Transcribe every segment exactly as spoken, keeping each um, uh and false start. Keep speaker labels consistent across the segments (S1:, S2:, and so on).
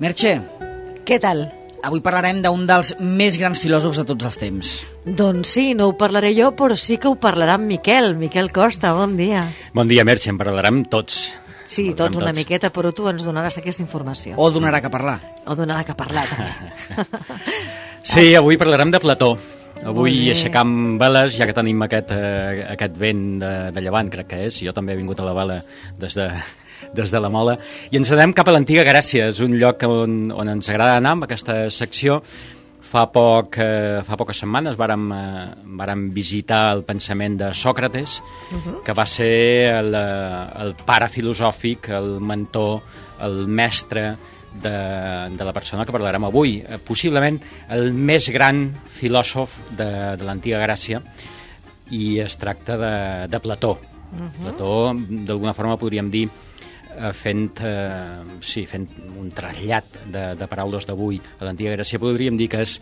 S1: Merche,
S2: què tal?
S1: avui parlarem d'un dels més grans filòsofs de tots els temps.
S2: Doncs sí, no ho parlaré jo, però sí que ho parlarà en Miquel. Miquel Costa, bon dia.
S3: Bon dia, Merche, en parlarem tots.
S2: Sí, tots una miqueta, però tu ens donaràs aquesta informació.
S1: O donarà que parlar.
S2: O donarà que parlar, també.
S3: Sí, avui parlarem de Plató. Avui aixecam veles, ja que tenim aquest, eh, aquest vent de, de llevant, crec que és. Jo també he vingut a la vela des de, des de la Mola. I ens anem cap a l'antiga Grècia. És un lloc on, on ens agrada anar amb aquesta secció. Fa, poc, eh, fa poques setmanes vàrem, eh, vàrem visitar el pensament de Sòcrates, uh-huh. que va ser el, el pare filosòfic, el mentor, el mestre de, de la persona que parlarem avui. Eh, possiblement el més gran filòsof de, de l'antiga Grècia, i es tracta de, de Plató. Uh-huh. Plató, d'alguna forma podríem dir, fent, eh, sí, fent un trasllat de, de paraules d'avui a l'antiga Grècia, podríem dir que és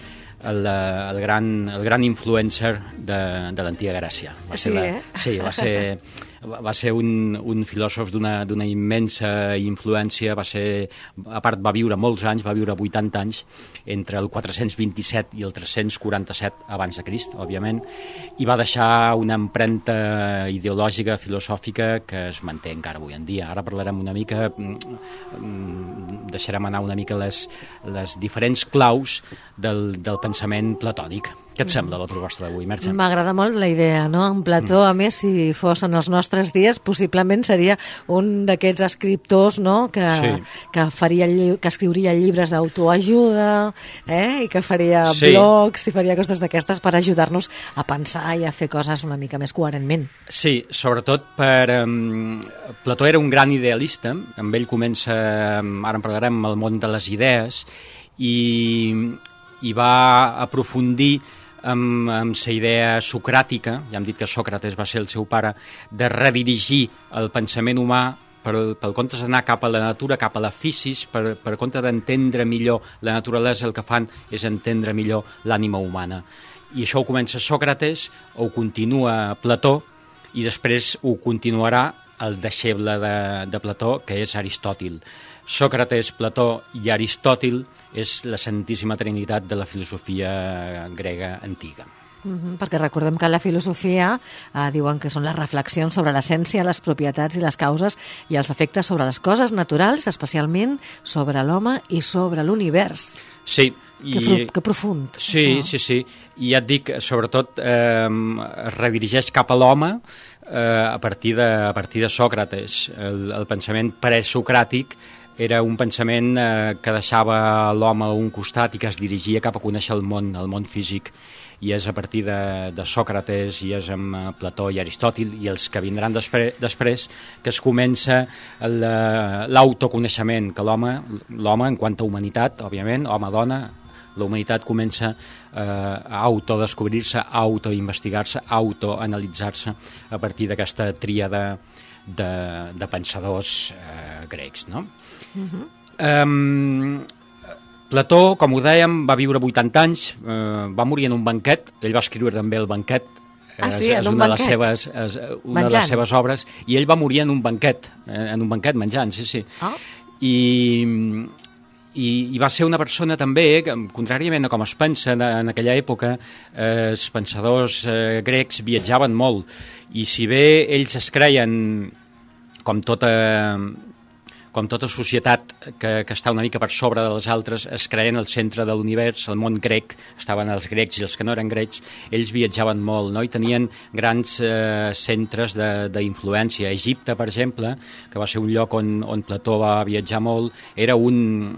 S3: el, el, gran, el gran influencer de, de l'antiga Grècia. Va
S2: sí,
S3: ser la,
S2: eh?
S3: Sí, va ser, va ser un, un filòsof d'una d'una immensa influència. Va ser, a part, va viure molts anys, va viure vuitanta anys, entre el quatre-cents vint-i-set i el tres-cents quaranta-set abans de Crist, òbviament, i va deixar una empremta ideològica, filosòfica, que es manté encara avui en dia. Ara parlarem una mica, deixarem anar una mica les, les diferents claus del, del pensament platònic. Què et sembla la proposta d'avui, Merche?
S2: M'agrada molt la idea, no? En Plató, mm. a més, si fos en els nostres dies, possiblement seria un d'aquests escriptors, no?, que, sí. que, faria, que escriuria llibres d'autoajuda, eh?, i que faria sí. blogs i faria coses d'aquestes per ajudar-nos a pensar i a fer coses una mica més coherentment.
S3: Sí, sobretot per... Um, Plató era un gran idealista, amb ell comença, ara en parlarem, el món de les idees, i, i va aprofundir amb, amb la idea socràtica, ja hem dit que Sòcrates va ser el seu pare, de redirigir el pensament humà per, pel compte d'anar cap a la natura, cap a la fisis, per, per compte d'entendre millor la naturalesa, el que fan és entendre millor l'ànima humana. I això ho comença Sòcrates, ho continua Plató, i després ho continuarà el deixeble de, de Plató, que és Aristòtil. Sòcrates, Plató i Aristòtil és la Santíssima Trinitat de la filosofia grega antiga.
S2: Mm-hmm, perquè recordem que la filosofia eh, diuen que són les reflexions sobre l'essència, les propietats i les causes i els efectes sobre les coses naturals, especialment sobre l'home i sobre l'univers.
S3: Sí.
S2: I, que, fru, que profund.
S3: Sí, això. sí, sí. I ja et dic, sobretot eh, es redirigeix cap a l'home eh, a, partir de, a partir de Sòcrates. El, el pensament presocràtic era un pensament eh, que deixava l'home a un costat i que es dirigia cap a conèixer el món, el món físic. I és a partir de, de Sòcrates, i és amb Plató i Aristòtil i els que vindran despre, després, que es comença l'autoconeixement, que l'home, l'home en quant a humanitat, òbviament, home-dona, la humanitat comença eh, a autodescobrir-se, a autoinvestigar-se, a autoanalitzar-se a partir d'aquesta tríada de, de pensadors eh, grecs, no? Uh-huh. Um, Plató, com ho dèiem, va viure vuitanta anys, eh, va morir en un banquet, ell va escriure també el banquet, eh,
S2: ah, sí,
S3: és, és
S2: un
S3: una,
S2: banquet?
S3: de les seves, és una de les seves obres, i ell va morir en un banquet, eh, en un banquet menjant, sí, sí.
S2: Oh.
S3: I, i, i va ser una persona també, que, contràriament a com es pensa en, en aquella època, eh, els pensadors eh, grecs viatjaven molt, i si bé ells es creien, com tota... com tota societat que, que està una mica per sobre de les altres, es creien el centre de l'univers, el món grec, estaven els grecs i els que no eren grecs, ells viatjaven molt, no? I tenien grans eh, centres d'influència. Egipte, per exemple, que va ser un lloc on, on Plató va viatjar molt, era un,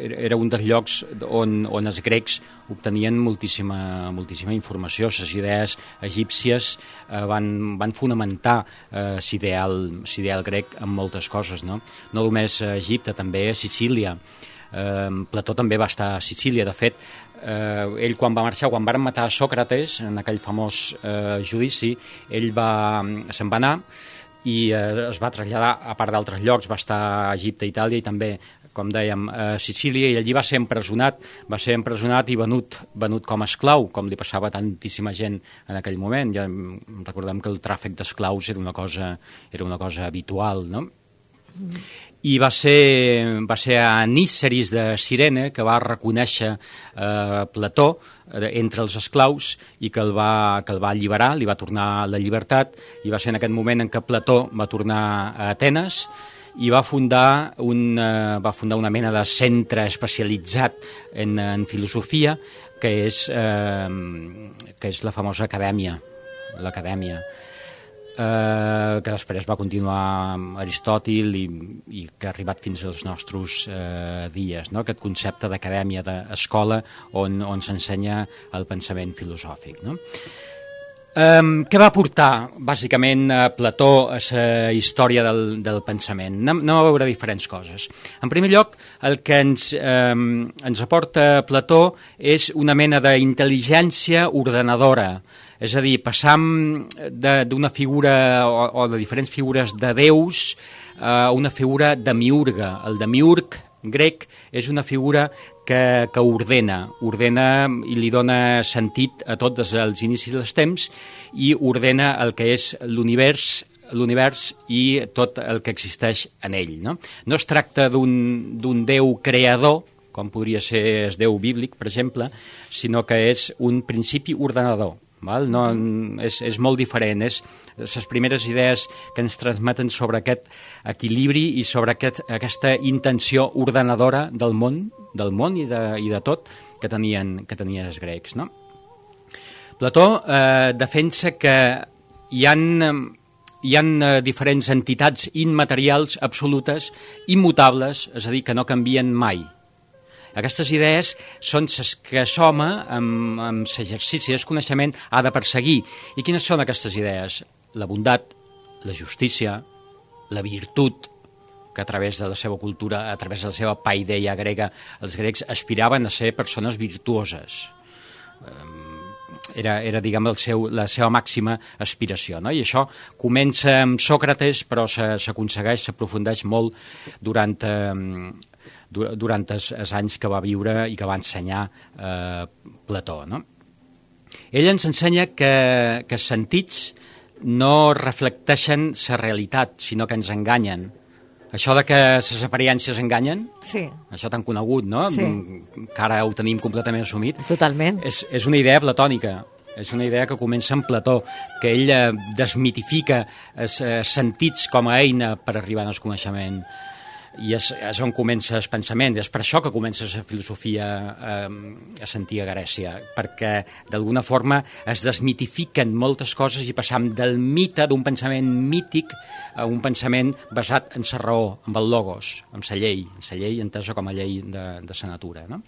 S3: era un dels llocs on, on els grecs obtenien moltíssima, moltíssima informació. Les idees egípcies eh, van, van fonamentar eh, l'ideal grec en moltes coses, no? No només a Egipte, també a Sicília. Eh, Plató també va estar a Sicília. De fet, eh, ell quan va marxar, quan van matar a Sòcrates, en aquell famós eh, judici, ell va, se'n va anar i eh, es va traslladar a part d'altres llocs, va estar a Egipte, Itàlia i també, com dèiem, a Sicília, i allí va ser empresonat, va ser empresonat i venut, venut com a esclau, com li passava a tantíssima gent en aquell moment. Ja recordem que el tràfic d'esclaus era una cosa, era una cosa habitual, no? i va ser, va ser a Níceris de Cirene que va reconèixer eh, Plató eh, entre els esclaus i que el, va, que el va alliberar, li va tornar la llibertat, i va ser en aquest moment en què Plató va tornar a Atenes i va fundar, un, eh, va fundar una mena de centre especialitzat en, en filosofia que és, eh, que és la famosa acadèmia, l'acadèmia. Eh, que després va continuar amb Aristòtil i, i que ha arribat fins als nostres eh, dies, no? Aquest concepte d'acadèmia, d'escola on, on s'ensenya el pensament filosòfic, no? Um, què va portar, bàsicament, a Plató a la història del, del pensament? Anem, anem a veure diferents coses. En primer lloc, el que ens, um, ens aporta Plató és una mena d'intel·ligència ordenadora, és a dir, passam d'una figura o, o de diferents figures de déus a una figura demiurga. El demiurg grec és una figura que, que ordena, ordena i li dona sentit a tot des dels inicis dels temps i ordena el que és l'univers l'univers i tot el que existeix en ell. No, no es tracta d'un déu creador, com podria ser el déu bíblic, per exemple, sinó que és un principi ordenador. Val? No, és, és molt diferent, és les primeres idees que ens transmeten sobre aquest equilibri i sobre aquest, aquesta intenció ordenadora del món, del món i de, i de tot que tenien, que tenien els grecs. No? Plató eh, defensa que hi ha, hi ha diferents entitats immaterials absolutes, immutables, és a dir, que no canvien mai. Aquestes idees són les que l'home, amb, amb l'exercici del coneixement, ha de perseguir. I quines són aquestes idees? La bondat, la justícia, la virtut, que a través de la seva cultura, a través de la seva paideia grega, els grecs aspiraven a ser persones virtuoses. Era, era diguem, el seu, la seva màxima aspiració. No? I això comença amb Sòcrates, però s'aconsegueix, s'aprofundeix molt durant... Eh, durant els, els anys que va viure i que va ensenyar eh, Plató. No? Ell ens ensenya que, que els sentits no reflecteixen la realitat, sinó que ens enganyen. Això de que les aparences enganyen,
S2: sí.
S3: Això tan conegut, no?
S2: Sí.
S3: Que ara ho tenim completament assumit.
S2: Totalment.
S3: És, és una idea platònica. És una idea que comença amb Plató, que ell eh, desmitifica els eh, sentits com a eina per arribar al coneixement. I és, és on comença el pensament, és per això que comença la filosofia eh, a l'antiga Grècia, perquè d'alguna forma es desmitifiquen moltes coses i passam del mite d'un pensament mític a un pensament basat en la raó, en el logos, en la llei, en la llei entesa com a llei de, de la natura. No?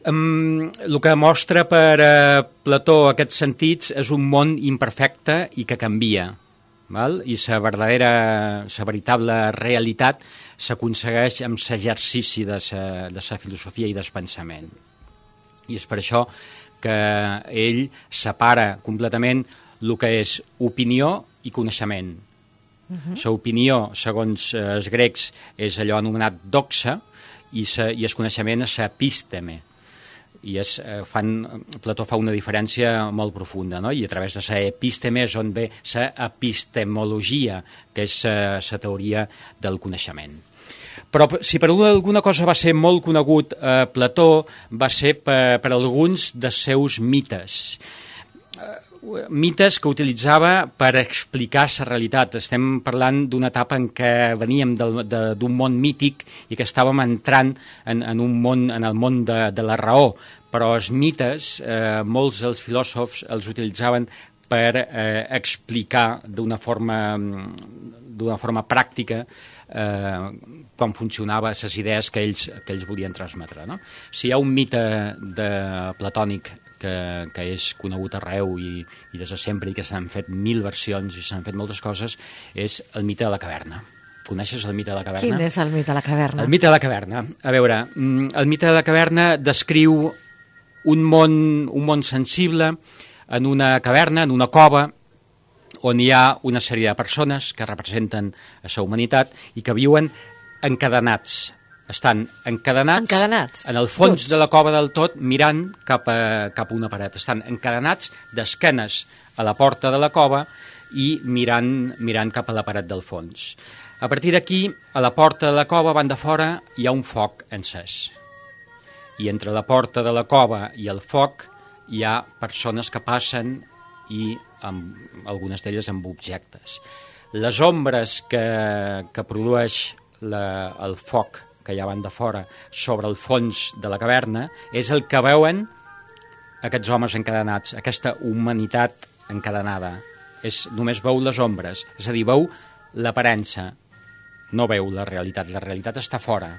S3: Um, el que mostra per uh, Plató aquests sentits és un món imperfecte i que canvia. Val? I la verdadera, la veritable realitat s'aconsegueix amb l'exercici de la de la filosofia i del pensament. I és per això que ell separa completament el que és opinió i coneixement. Uh-huh. L'opinió, segons els grecs, és allò anomenat doxa i, sa, i el coneixement és l'epísteme. I és, fan, Plató fa una diferència molt profunda, no? I a través de l'epísteme és on ve l'epistemologia, que és la teoria del coneixement. Però si per alguna cosa va ser molt conegut eh, Plató, va ser per, per alguns dels seus mites. Eh, mites que utilitzava per explicar la realitat. Estem parlant d'una etapa en què veníem d'un món mític i que estàvem entrant en, en, un món, en el món de, de la raó, però els mites, eh, molts dels filòsofs els utilitzaven per eh, explicar d'una forma, d'una forma pràctica eh, com funcionaven les idees que ells, que ells volien transmetre. No? Si hi ha un mite de platònic que, que és conegut arreu i, i des de sempre i que s'han fet mil versions i s'han fet moltes coses, és el mite de la caverna. Coneixes el mite de la caverna?
S2: Quin és el mite de la caverna?
S3: El mite de la caverna. A veure, el mite de la caverna descriu un món, un món sensible en una caverna, en una cova, on hi ha una sèrie de persones que representen a la humanitat i que viuen encadenats. Estan encadenats,
S2: encadenats
S3: en el fons
S2: tots.
S3: De la cova del tot, mirant cap a, cap a una paret. Estan encadenats d'esquenes a la porta de la cova i mirant, mirant cap a la paret del fons. A partir d'aquí, a la porta de la cova, van de fora, hi ha un foc encès. I entre la porta de la cova i el foc hi ha persones que passen i amb, algunes d'elles amb objectes. Les ombres que, que produeix la, el foc que hi ha van de fora sobre el fons de la caverna és el que veuen aquests homes encadenats, aquesta humanitat encadenada. És, només veu les ombres, és a dir, veu l'aparença, no veu la realitat, la realitat està fora.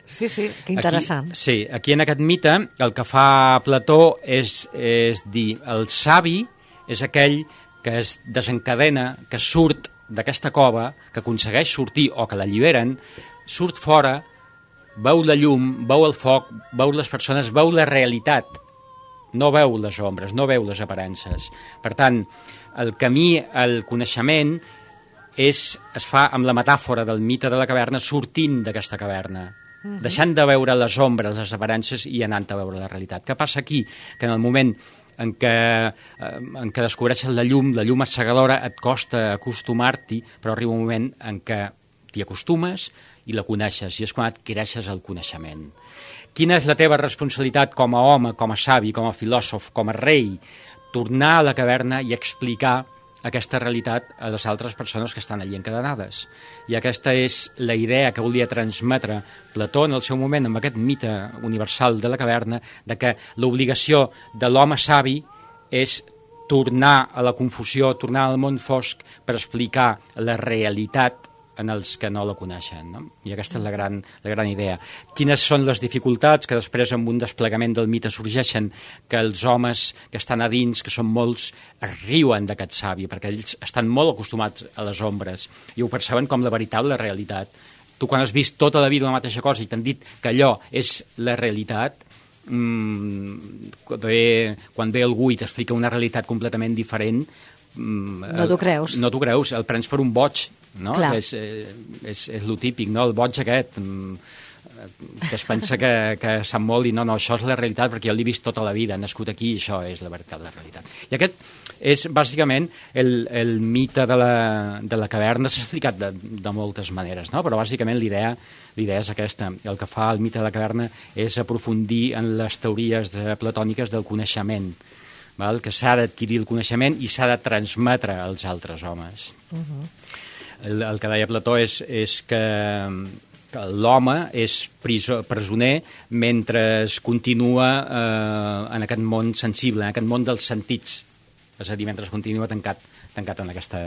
S2: Sí, sí, que interessant.
S3: Aquí, sí, aquí en aquest mite el que fa Plató és, és dir, el savi és aquell que es desencadena, que surt d'aquesta cova, que aconsegueix sortir o que l'alliberen, surt fora, veu la llum, veu el foc, veu les persones, veu la realitat, no veu les ombres, no veu les aparences. Per tant, el camí al coneixement és, es fa amb la metàfora del mite de la caverna sortint d'aquesta caverna, uh-huh. deixant de veure les ombres, les aparences i anant a veure la realitat. Què passa aquí? Que en el moment en què, en què descobreixes la llum, la llum assegadora, et costa acostumar-t'hi, però arriba un moment en què t'hi acostumes i la coneixes, i és quan adquireixes el coneixement. Quina és la teva responsabilitat com a home, com a savi, com a filòsof, com a rei? Tornar a la caverna i explicar aquesta realitat a les altres persones que estan allí encadenades. I aquesta és la idea que volia transmetre Plató en el seu moment amb aquest mite universal de la caverna, de que l'obligació de l'home savi és tornar a la confusió, tornar al món fosc per explicar la realitat en els que no la coneixen, no? I aquesta és la gran, la gran idea. Quines són les dificultats que després amb un desplegament del mite sorgeixen? Que els homes que estan a dins, que són molts, es riuen d'aquest savi, perquè ells estan molt acostumats a les ombres i ho perceben com la veritable realitat. Tu quan has vist tota la vida una mateixa cosa i t'han dit que allò és la realitat, mmm, quan, ve, quan ve algú i t'explica una realitat completament diferent,
S2: no t'ho creus.
S3: No t'ho creus, el prens per un boig, no?
S2: Clar.
S3: És, és, és lo típic, no? El boig aquest, que es pensa que, que sap molt i no, no, això és la realitat perquè jo l'he vist tota la vida, nascut aquí i això és la veritat, la realitat. I aquest és bàsicament el, el mite de la, de la caverna, s'ha explicat de, de moltes maneres, no? Però bàsicament l'idea l'idea és aquesta. El que fa el mite de la caverna és aprofundir en les teories de, platòniques del coneixement, val? Que s'ha d'adquirir el coneixement i s'ha de transmetre als altres homes. Uh-huh. el, el que deia Plató és, és que, que l'home és priso, presoner mentre es continua eh, en aquest món sensible, en aquest món dels sentits, és a dir, mentre es continua tancat, tancat en, aquesta,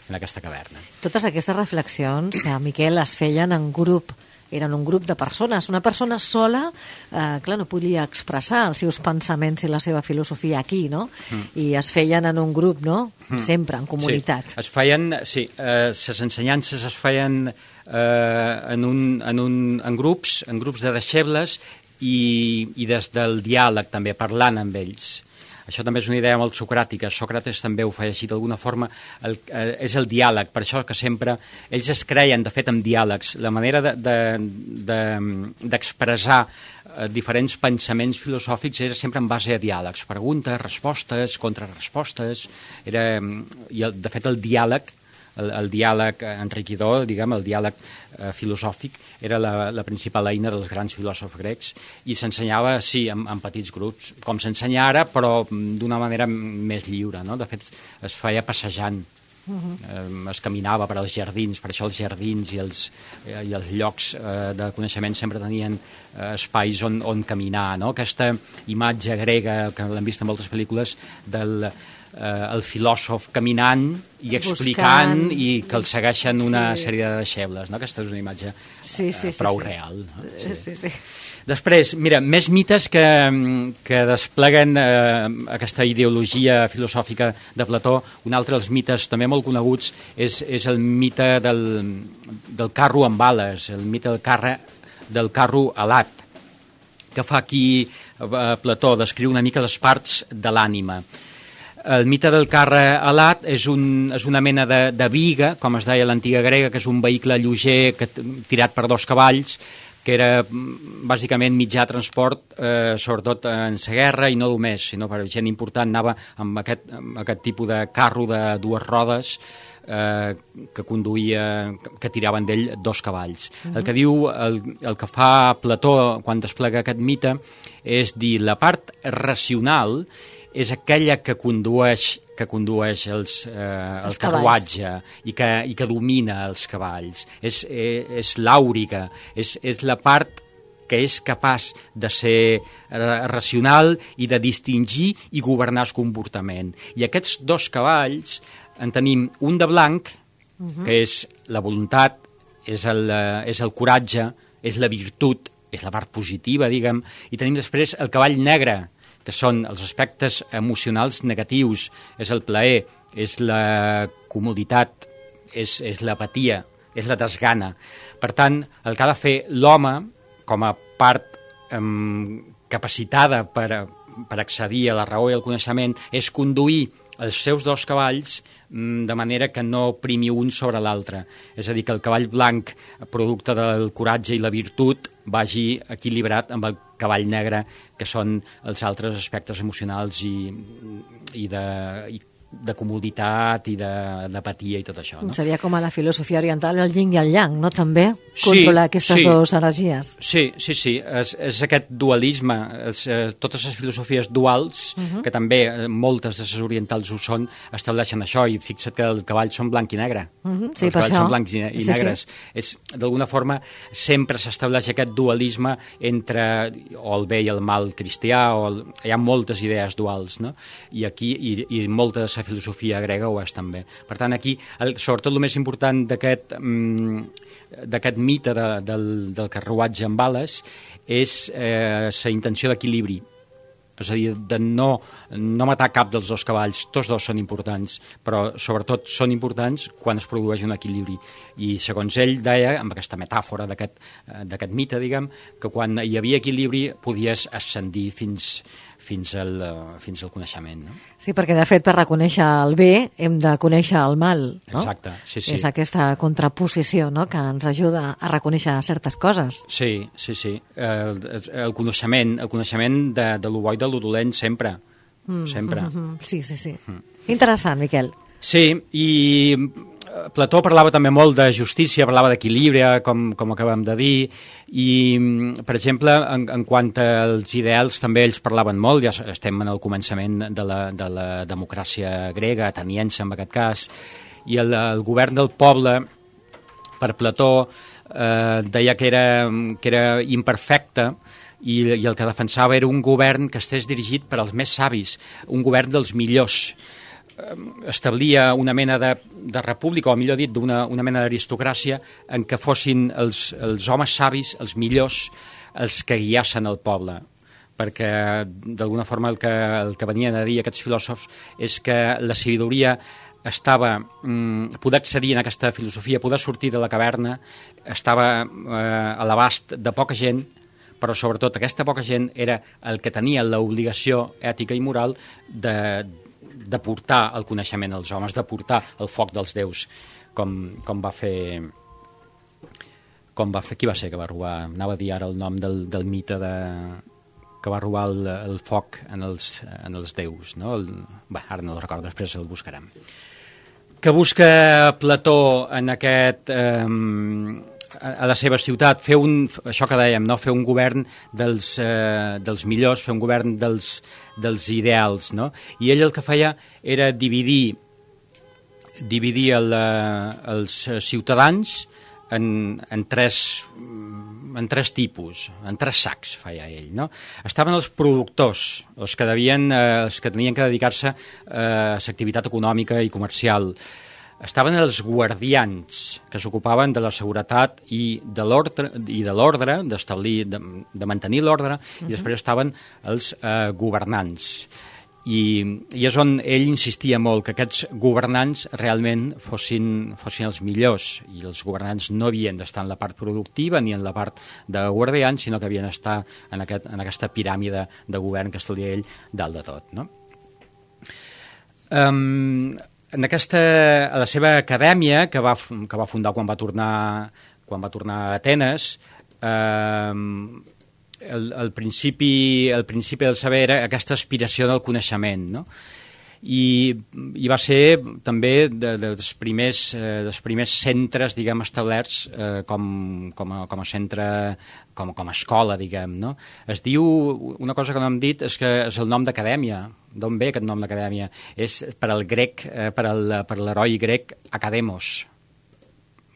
S3: en aquesta caverna.
S2: Totes aquestes reflexions, eh, Miquel, es feien en grup. Eren un grup de persones. Una persona sola, eh, clar, no podia expressar els seus pensaments i la seva filosofia aquí, no? Mm. I es feien en un grup, no? Mm. Sempre, en comunitat.
S3: Sí, es feien, sí, eh, les ensenyances es feien eh, en, un, en, un, en grups, en grups de deixebles i, i des del diàleg també, parlant amb ells. Això també és una idea molt socràtica. Sòcrates també ho feia així d'alguna forma. El, eh, és el diàleg, per això que sempre ells es creien, de fet, en diàlegs. La manera d'expressar de, de, de, eh, diferents pensaments filosòfics era sempre en base a diàlegs. Preguntes, respostes, contrarrespostes. Era, i el, de fet, el diàleg, el, el diàleg enriquidor, diguem, el diàleg eh, filosòfic, era la, la principal eina dels grans filòsofs grecs i s'ensenyava, sí, en, en petits grups, com s'ensenya ara, però d'una manera més lliure, no? De fet, es feia passejant, uh-huh. eh, es caminava per als jardins, per això els jardins i els, eh, i els llocs eh, de coneixement sempre tenien eh, espais on, on caminar, no? Aquesta imatge grega, que l'hem vist en moltes pel·lícules, del eh, el filòsof caminant i explicant buscant, i que el segueixen una sí. sèrie de deixebles, no? Aquesta és una imatge
S2: sí, sí,
S3: eh, prou
S2: sí, sí.
S3: real. No?
S2: Sí. Sí, sí.
S3: Després, mira, més mites que, que despleguen eh, aquesta ideologia filosòfica de Plató. Un altre dels mites també molt coneguts és, és el mite del, del carro amb ales, el mite del, carre, del carro alat, que fa aquí eh, Plató, descriu una mica les parts de l'ànima. El mite del carre alat és, un, és una mena de, de biga, com es deia a l'antiga grega, que és un vehicle lleuger que, tirat per dos cavalls, que era bàsicament mitjà de transport, eh, sobretot en la guerra, i no només, sinó per gent important anava amb aquest, amb aquest tipus de carro de dues rodes eh, que conduïa, que tiraven d'ell dos cavalls. Uh-huh. El que diu, el, el que fa Plató quan desplega aquest mite és dir, la part racional és aquella que condueix que condueix els, eh, el carruatge i que, i que domina els cavalls. És, és, és l'àuriga, és, és la part que és capaç de ser racional i de distingir i governar el comportament. I aquests dos cavalls en tenim un de blanc, uh-huh. que és la voluntat, és el, és el coratge, és la virtut, és la part positiva, diguem, i tenim després el cavall negre, que són els aspectes emocionals negatius, és el plaer, és la comoditat, és, és l'apatia, és la desgana. Per tant, el que ha de fer l'home, com a part eh, capacitada per, per accedir a la raó i al coneixement, és conduir els seus dos cavalls de manera que no primi un sobre l'altre. És a dir, que el cavall blanc, producte del coratge i la virtut, vagi equilibrat amb el cavall negre, que són els altres aspectes emocionals i, i de... I de comoditat i d'apatia i tot això. No?
S2: Seria com a la filosofia oriental el yin i el yang, no? També controlar sí, aquestes sí. dues energies.
S3: Sí, sí, sí. És, és aquest dualisme, és, és, totes les filosofies duals, uh-huh. que també moltes de les orientals ho són, estableixen això, i fixa't que els cavalls són blanc i negre. Uh-huh. Sí, els cavalls això. són blancs i, i sí, negres. Sí. D'alguna forma sempre s'estableix aquest dualisme entre o el bé i el mal cristià, o el, hi ha moltes idees duals, no? I aquí, i, i moltes la filosofia grega ho és també. Per tant, aquí, el, sobretot el més important d'aquest mm, d'aquest mite de, del, del carruatge amb ales és eh, la intenció d'equilibri. És a dir, de no, no matar cap dels dos cavalls. Tots dos són importants, però sobretot són importants quan es produeix un equilibri. I segons ell deia, amb aquesta metàfora d'aquest d'aquest mite, diguem, que quan hi havia equilibri podies ascendir fins fins al, fins al coneixement. No?
S2: Sí, perquè de fet per reconèixer el bé hem de conèixer el mal. No?
S3: Exacte, sí, sí.
S2: És aquesta contraposició, no?, que ens ajuda a reconèixer certes coses.
S3: Sí, sí, sí. El, el coneixement, el coneixement de, de lo bo i de lo dolent sempre. Mm, sempre.
S2: Mm, mm, sí, sí, sí. Mm. Interessant, Miquel.
S3: Sí, i Plató parlava també molt de justícia, parlava d'equilibri, com, com acabem de dir, i, per exemple, en, en quant als ideals també ells parlaven molt, ja estem en el començament de la, de la democràcia grega, ateniense en aquest cas, i el, el govern del poble, per Plató, eh, deia que era, que era imperfecte, i, i el que defensava era un govern que estés dirigit per als més savis, un govern dels millors. Establia una mena de, de república, o millor dit, d'una una mena d'aristocràcia en què fossin els, els homes savis, els millors, els que guiassen el poble. Perquè, d'alguna forma, el que, el que venien a dir aquests filòsofs és que la sabidoria estava, mm, poder accedir en aquesta filosofia, poder sortir de la caverna, estava eh, a l'abast de poca gent, però sobretot aquesta poca gent era el que tenia l'obligació ètica i moral de de portar el coneixement als homes, de portar el foc dels déus, com, com va fer... Com va fer... Qui va ser que va robar? Anava a dir ara el nom del, del mite de... que va robar el, el foc en els, en els déus, no? El... Bé, ara no el recordo, després el buscarem. Que busca Plató en aquest... Eh, a la seva ciutat, fer un, això que dèiem, no? Fer un govern dels, eh, dels millors, fer un govern dels, dels ideals, no? I ell el que feia era dividir dividir el, els ciutadans en, en, tres, en tres tipus, en tres sacs feia ell, no? Estaven els productors, els que, devien, eh, els que tenien que dedicar-se eh, a l'activitat econòmica i comercial. Estaven els guardians, que s'ocupaven de la seguretat i de l'ordre, i de l'ordre, d'establir, de, de mantenir l'ordre, uh-huh. I després estaven els eh, governants. I, I és on ell insistia molt, que aquests governants realment fossin, fossin els millors, i els governants no havien d'estar en la part productiva ni en la part de guardians, sinó que havien d'estar en, aquest, en aquesta piràmide de govern que estaria ell dalt de tot, no? Um, En aquesta, a la seva acadèmia, que va, que va fundar quan va tornar, quan va tornar a Atenes, eh, el, el, principi, el principi del saber era aquesta aspiració del coneixement, no? I, i va ser també de, de, dels, primers, eh, dels primers centres, diguem, establerts eh, com, com, a, com a centre, com, com a escola, diguem, no? Es diu, una cosa que no hem dit, és que és el nom d'acadèmia. D'on ve aquest nom d'acadèmia? És per al grec, eh, per, al, per l'heroi grec Academos,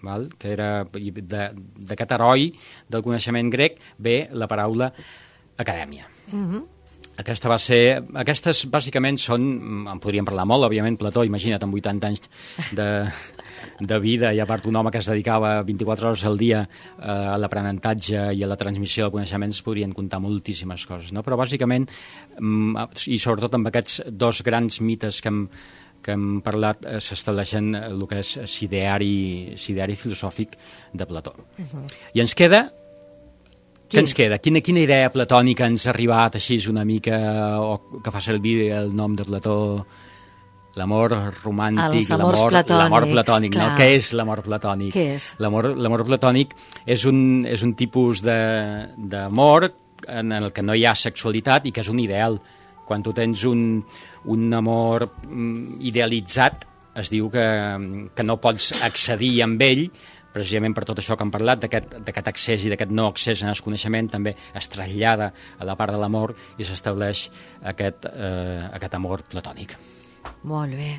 S3: val? Que era d'aquest heroi del coneixement grec ve la paraula acadèmia. Mm-hmm. Aquesta va ser... Aquestes, bàsicament, són... En podríem parlar molt, òbviament, Plató, imagina't, amb vuitanta anys de, de vida, i a part un home que es dedicava vint-i-quatre hores al dia eh, a l'aprenentatge i a la transmissió de coneixements, podrien comptar moltíssimes coses, no? Però, bàsicament, i sobretot amb aquests dos grans mites que hem, que hem parlat, eh, s'estableixen el que és s'ideari, s'ideari filosòfic de Plató. Uh-huh. I ens queda... Què ens queda? Quina, quina idea platònica ens ha arribat així una mica, o que fa servir el nom de Plató, l'amor romàntic, l'amor l'amor platònic, no? Què és l'amor platònic?
S2: Què és?
S3: L'amor, l'amor platònic és un, és un tipus d'amor en el que no hi ha sexualitat i que és un ideal. Quan tu tens un, un amor idealitzat, es diu que, que no pots accedir amb ell, precisament per tot això que hem parlat, d'aquest accés i d'aquest no accés en el coneixement, també es trasllada a la part de l'amor i s'estableix aquest, eh, aquest amor platònic.
S2: Molt bé.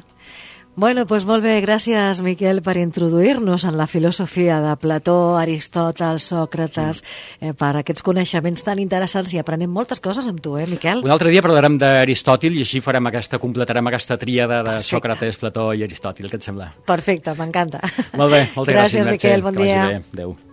S2: Bueno, doncs molt bé, gràcies, Miquel, per introduir-nos en la filosofia de Plató, Aristòtel, Sòcrates, eh, per aquests coneixements tan interessants, i aprenem moltes coses amb tu, eh, Miquel?
S3: Un altre dia parlarem d'Aristòtil i així farem aquesta, completarem aquesta tríada de Perfecte. Sòcrates, Plató i Aristòtil. Què et sembla?
S2: Perfecte, m'encanta.
S3: Molt bé, moltes gràcies,
S2: gràcies, Miquel, bon dia.
S3: Que vagi bé. Adéu.